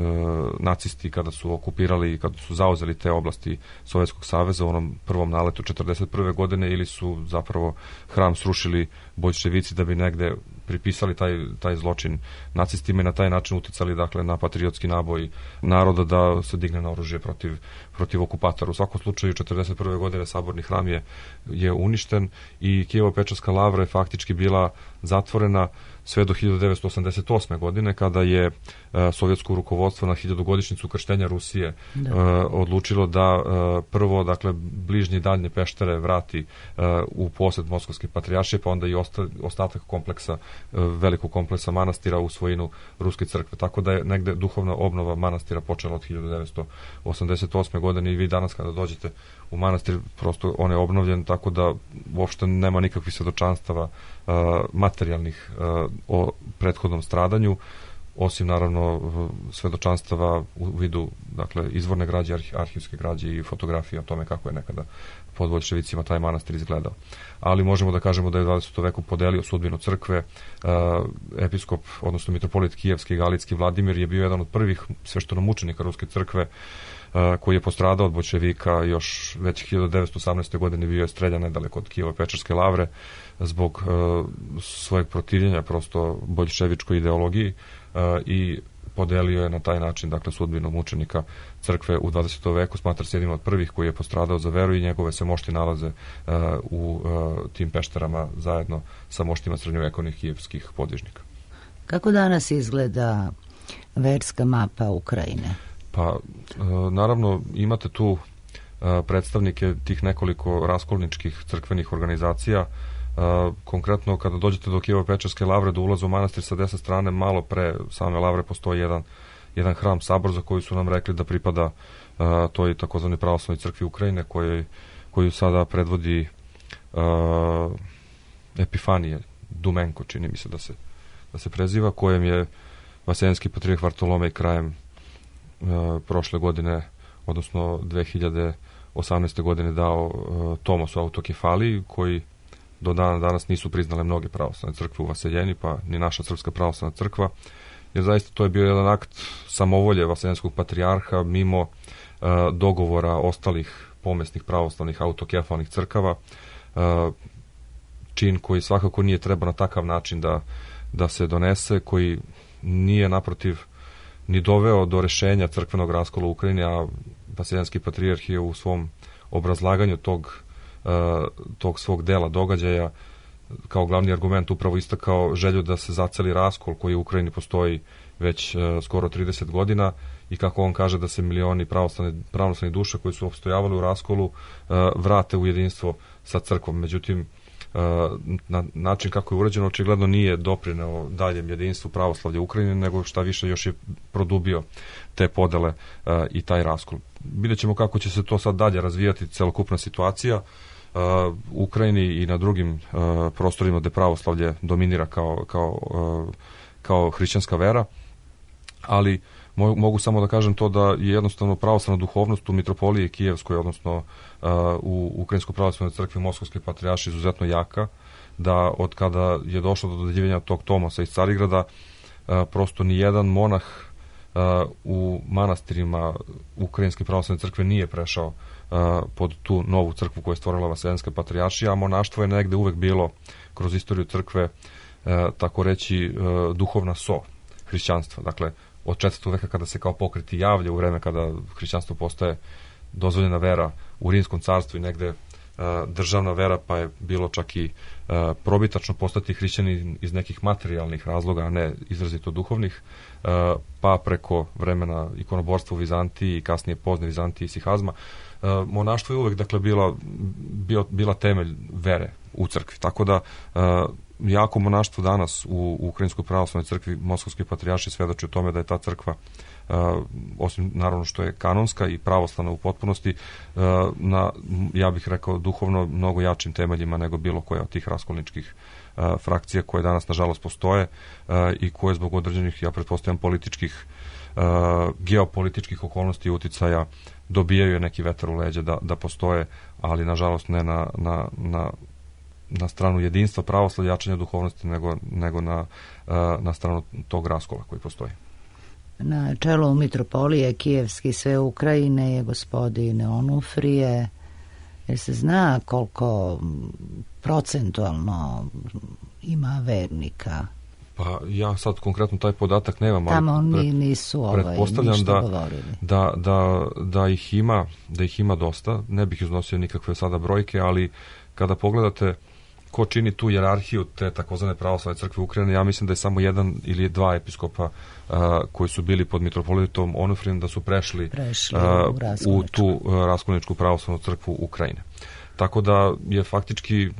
nacisti kada su okupirali i kada su zauzeli te oblasti Sovjetskog saveza u onom prvom naletu četrdeset prve godine ili su zapravo hram srušili boljševici da bi negde pripisali taj, taj zločin nacistima i na taj način uticali dakle na patriotski naboj naroda da se digne na oružje protiv, protiv okupatora. U svakom slučaju četrdeset prve godine saborni hram je, je uništen i Kijevo-Pečarska lavra je faktički bila zatvorena sve do hiljadu devetsto osamdeset osme godine kada je uh, sovjetsko rukovodstvo na hiljadugodišnjicu krštenja Rusije uh, odlučilo da uh, prvo dakle bližnje i daljnje peštere vrati uh, u posed Moskovske patrijaršije, pa onda i osta, ostatak kompleksa, uh, velikog kompleksa manastira u svojinu Ruske crkve. Tako da je negde duhovna obnova manastira počela od hiljadu devetsto osamdeset osme godine i vi danas kada dođete u manastir prosto on je obnovljen, tako da uopšte nema nikakvih svedočanstava uh, materijalnih uh, o prethodnom stradanju, osim naravno svedočanstava u vidu dakle izvorne građe, arhi, arhivske građe i fotografije o tome kako je nekada pod boljševicima taj manastir izgledao. Ali možemo da kažemo da je u dvadesetom veku podelio sudbinu crkve. Uh, episkop, odnosno mitropolit kijevski i galitski Vladimir je bio jedan od prvih sveštenomučenika Ruske crkve uh, koji je postradao od boljševika još već hiljadu devetsto osamnaeste. godine bio je streljan nedaleko od Kijevo-Pečarske lavre zbog uh, svojeg protivljenja prosto boljševičkoj ideologiji uh, i podelio je na taj način dakle sudbinu mučenika crkve u dvadesetom veku, smatra se jednim od prvih koji je postradao za veru i njegove se mošti nalaze uh, u uh, tim pešterama zajedno sa moštima srednjovekovnih kijevskih podvižnika. Kako danas izgleda verska mapa Ukrajine? Pa uh, naravno imate tu uh, predstavnike tih nekoliko raskolničkih crkvenih organizacija. Uh, konkretno kada dođete do Kijevo-Pečarske lavre, do ulaza u manastir sa desne strane, malo pre same lavre postoji jedan, jedan hram sabor za koji su nam rekli da pripada uh, toj takozvanoj pravoslavnoj crkvi Ukrajine koji, koju sada predvodi uh, Epifanije Dumenko, čini mi se da se, da se preziva, kojem je vaseljenski patrijarh Vartolomej krajem uh, prošle godine, odnosno dve hiljade osamnaeste. godine dao uh, tomos o autokefaliji koji do dana danas nisu priznale mnoge pravoslavne crkve u Vaseljeni, pa ni naša Srpska pravoslavna crkva, jer zaista to je bio jedan akt samovolje vaseljenskog patrijarha mimo uh, dogovora ostalih pomesnih pravoslavnih autokefalnih crkava, uh, čin koji svakako nije treba na takav način da, da se donese, koji nije naprotiv ni doveo do rešenja crkvenog raskola u Ukrajini, a vaseljenski patrijarh je u svom obrazlaganju tog tog svog dela događaja kao glavni argument upravo istakao želju da se zaceli raskol koji u Ukrajini postoji već uh, skoro trideset godina i kako on kaže da se milioni pravoslavne, pravoslavne duše koji su opstojavali u raskolu uh, vrate u jedinstvo sa crkvom. Međutim, uh, na način kako je urađeno očigledno nije doprineo daljem jedinstvu pravoslavlja Ukrajine, nego šta više još je produbio te podele uh, i taj raskol. Vidjet ćemo kako će se to sad dalje razvijati celokupna situacija u Ukrajini i na drugim uh, prostorima gde pravoslavlje dominira kao, kao, uh, kao hrišćanska vera, ali mo mogu samo da kažem to da je jednostavno pravoslavna duhovnost u mitropoliji Kijevskoj, odnosno uh, u Ukrajinskoj pravoslavnoj crkvi Moskovske patrijaršije izuzetno jaka, da od kada je došlo do dodeljivanja tog tomosa iz Carigrada, uh, prosto ni jedan monah uh, u manastirima Ukrajinske pravoslavne crkve nije prešao Uh, pod tu novu crkvu koju je stvorila Vaseljenska patrijaršija, a monaštvo je negde uvek bilo kroz istoriju crkve uh, tako reći uh, duhovna so hrišćanstva. Dakle, od četvrtog veka kada se kao pokreti javlja u vreme kada hrišćanstvo postaje dozvoljena vera u Rimskom carstvu i negde državna vera, pa je bilo čak i probitačno postati hrišćanin iz nekih materijalnih razloga, a ne izrazito duhovnih, pa preko vremena ikonoborstva u Vizantiji i kasnije pozne Vizantiji i Sihazma. Monaštvo je uvek, dakle, bila, bio, bila temelj vere u crkvi. Tako da jako monaštvo danas u, u Ukrajinskoj pravoslavnoj crkvi Moskovske patrijaršije svedoči o tome da je ta crkva, Uh, osim naravno što je kanonska i pravoslavna u potpunosti, uh, na, ja bih rekao, duhovno mnogo jačim temeljima nego bilo koja od tih raskolničkih uh, frakcija koje danas nažalost postoje uh, i koje zbog određenih, ja pretpostavljam, političkih, uh, geopolitičkih okolnosti i uticaja dobijaju neki vetar u leđa da, da postoje, ali nažalost ne na, na, na na stranu jedinstva pravoslavlja, jačanja duhovnosti, nego, nego na, uh, na stranu tog raskola koji postoji. Na čelu mitropolije Kijevski sve Ukrajine je gospodin Onufrije. Jer se zna koliko procentualno ima vernika? Pa ja sad konkretno taj podatak nemam, tamo ali pred, nisu ovaj, pretpostavljam da, govorili. Da, da, da, ih ima, da ih ima dosta. Ne bih iznosio nikakve sada brojke, ali kada pogledate ko čini tu jerarhiju te takozvane pravoslavne crkve Ukrajine, ja mislim da je samo jedan ili dva episkopa uh, koji su bili pod mitropolitom Onufrijem da su prešli, prešli uh, u, u tu uh, raskolničku pravoslavnu crkvu Ukrajine. Tako da je faktički uh,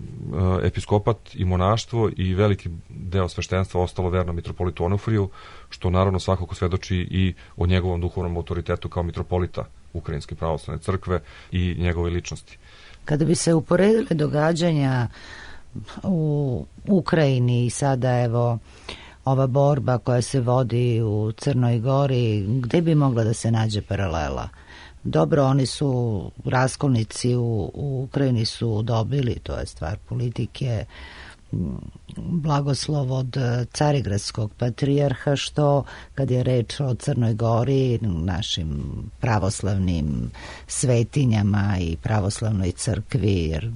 episkopat i monaštvo i veliki deo sveštenstva ostalo verno mitropolitu Onufriju, što naravno svakako svedoči i o njegovom duhovnom autoritetu kao mitropolita Ukrajinske pravoslavne crkve i njegove ličnosti. Kada bi se uporedile događanja u Ukrajini i sada evo ova borba koja se vodi u Crnoj Gori, gde bi mogla da se nađe paralela? Dobro, oni su raskolnici u, u Ukrajini su dobili, to je stvar politike, blagoslov od carigradskog patrijarha, što kad je reč o Crnoj Gori, našim pravoslavnim svetinjama i pravoslavnoj crkvi, jer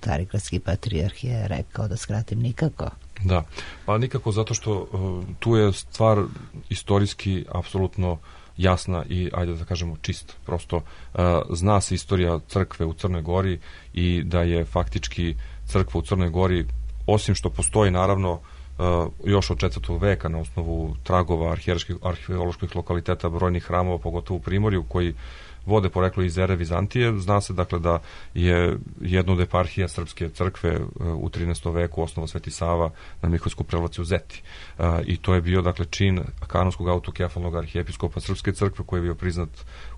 carigradski patrijarh je rekao, da skratim, nikako. Da, pa nikako, zato što uh, tu je stvar istorijski apsolutno jasna i, ajde da kažemo, čista. Prosto uh, zna se istorija crkve u Crnoj Gori i da je faktički crkva u Crnoj Gori, osim što postoji naravno uh, još od četvrtog veka na osnovu tragova arheoloških lokaliteta brojnih hramova, pogotovo u Primorju, koji vode poreklo iz ere Vizantije. Zna se, dakle, da je jedna od eparhija Srpske crkve u trinaestom veku osnovao Sveti Sava na Miholjsku prelaciju u Zeti. I to je bio, dakle, čin kanonskog autokefalnog arhijepiskopa Srpske crkve koji je bio priznat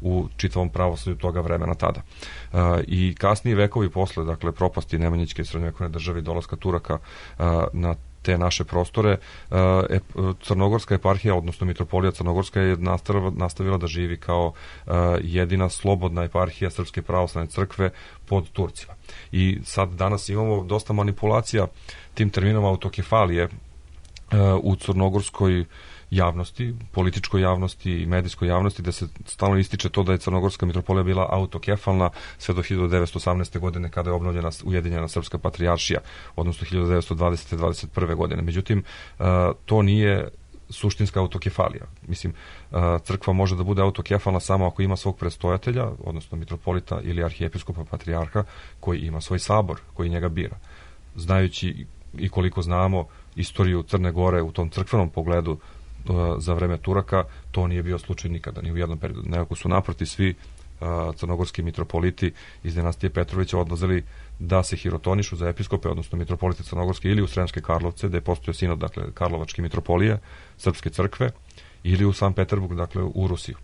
u čitavom pravoslavlju toga vremena tada. I kasniji vekovi posle, dakle, propasti Nemanjićke srednjovekovne države i dolaska Turaka na te naše prostore, Crnogorska eparhija, odnosno mitropolija Crnogorska je nastavila da živi kao jedina slobodna eparhija Srpske pravoslavne crkve pod Turcima. I sad danas imamo dosta manipulacija tim terminom autokefalije u crnogorskoj javnosti, političkoj javnosti i medijskoj javnosti, da se stalno ističe to da je Crnogorska mitropolija bila autokefalna sve do hiljadu devetsto osamnaeste. godine kada je obnovljena Ujedinjena Srpska patrijaršija, odnosno hiljadu devetsto dvadesete do dvadeset prve. godine. Međutim, to nije suštinska autokefalija. Mislim, crkva može da bude autokefalna samo ako ima svog predstojatelja, odnosno mitropolita ili arhijepiskopa patrijarha, koji ima svoj sabor, koji njega bira. Znajući i koliko znamo istoriju Crne Gore u tom crkvenom pogledu za vreme Turaka, to nije bio slučaj nikada, ni u jednom periodu. Nekako su naproti svi uh, crnogorski mitropoliti iz dinastije Petrovića odlazili da se hirotonišu za episkope, odnosno mitropolite Crnogorske, ili u Sremske Karlovce, da je postojao sinod, dakle, Karlovačke mitropolije, Srpske crkve, ili u San Peterburg, dakle, u Rusiju.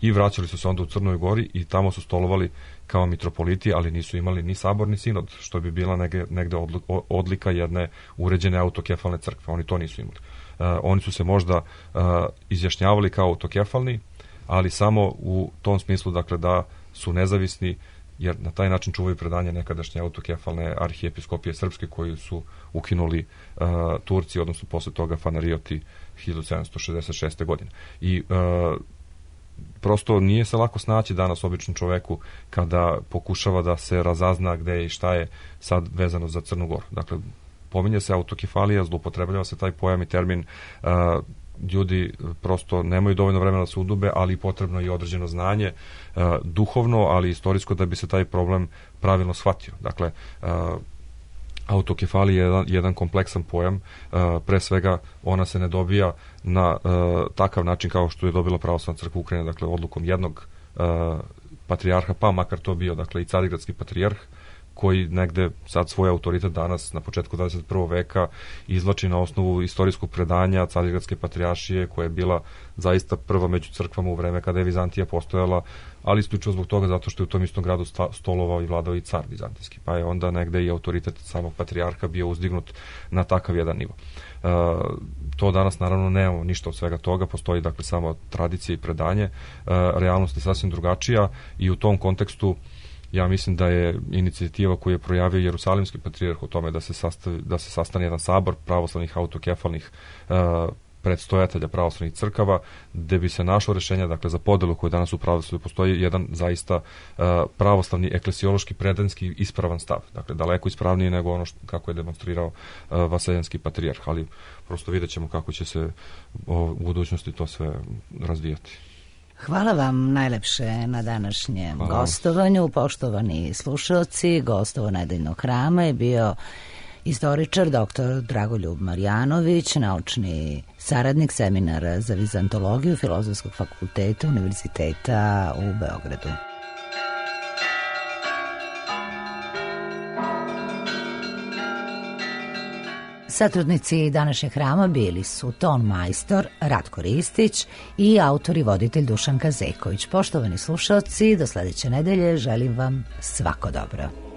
I vraćali su se onda u Crnoj Gori i tamo su stolovali kao mitropoliti, ali nisu imali ni sabor ni sinod, što bi bila negde, negde odlika jedne uređene autokefalne crkve. Oni to nisu imali. Uh, oni su se možda uh, izjašnjavali kao autokefalni, ali samo u tom smislu, dakle, da su nezavisni, jer na taj način čuvaju predanje nekadašnje autokefalne arhijepiskopije srpske koju su ukinuli uh, Turci, odnosno posle toga Fanarioti hiljadu sedamsto šezdeset šeste. godine. I uh, prosto nije se lako snaći danas običnom čoveku kada pokušava da se razazna gde je i šta je sad vezano za Crnu Goru. Dakle, pominje se autokefalija, zloupotrebljava se taj pojam i termin, uh, ljudi prosto nemaju dovoljno vremena da se udube, ali potrebno je i određeno znanje, duhovno, ali istorijsko, da bi se taj problem pravilno shvatio. Dakle, autokefalija je jedan, jedan kompleksan pojam, pre svega ona se ne dobija na takav način kao što je dobila Pravoslavna crkva Ukrajine, dakle odlukom jednog patrijarha, pa makar to bio, dakle, i Carigradski patrijarh, koji negde sad svoj autoritet danas na početku dvadeset prvog veka izvlači na osnovu istorijskog predanja Carigradske patrijaršije, koja je bila zaista prva među crkvama u vreme kada je Vizantija postojala, ali isključivo zbog toga zato što je u tom istom gradu stolovao i vladao i car vizantijski, pa je onda negde i autoritet samog patrijarha bio uzdignut na takav jedan nivo. E, to danas naravno nemamo ništa od svega toga, postoji dakle samo tradicija i predanje, e, realnost je sasvim drugačija i u tom kontekstu ja mislim da je inicijativa koju je projavio Jerusalimski patrijarh o tome da se, sastavi, da se sastane jedan sabor pravoslavnih autokefalnih uh, predstojatelja pravoslavnih crkava, gde bi se našlo rešenje, dakle, za podelu koju danas u pravoslavlju postoji jedan zaista uh, pravoslavni eklesiološki predanski ispravan stav. Dakle, daleko ispravniji nego ono što, kako je demonstrirao uh, Vaseljenski patrijarh, ali prosto vidjet ćemo kako će se o, u budućnosti to sve razvijati. Hvala vam najlepše na današnjem Hvala. gostovanju. Poštovani slušalci, gostovo Nedeljnog hrama je bio istoričar doktor Dragoljub Marjanović, naučni saradnik seminara za vizantologiju Filozofskog fakulteta Univerziteta u Beogradu. Satrudnici današnjeg hrama bili su ton majstor Ratko Ristić i autor i voditelj Dušan Kazeković. Poštovani slušalci, do sledeće nedelje želim vam svako dobro.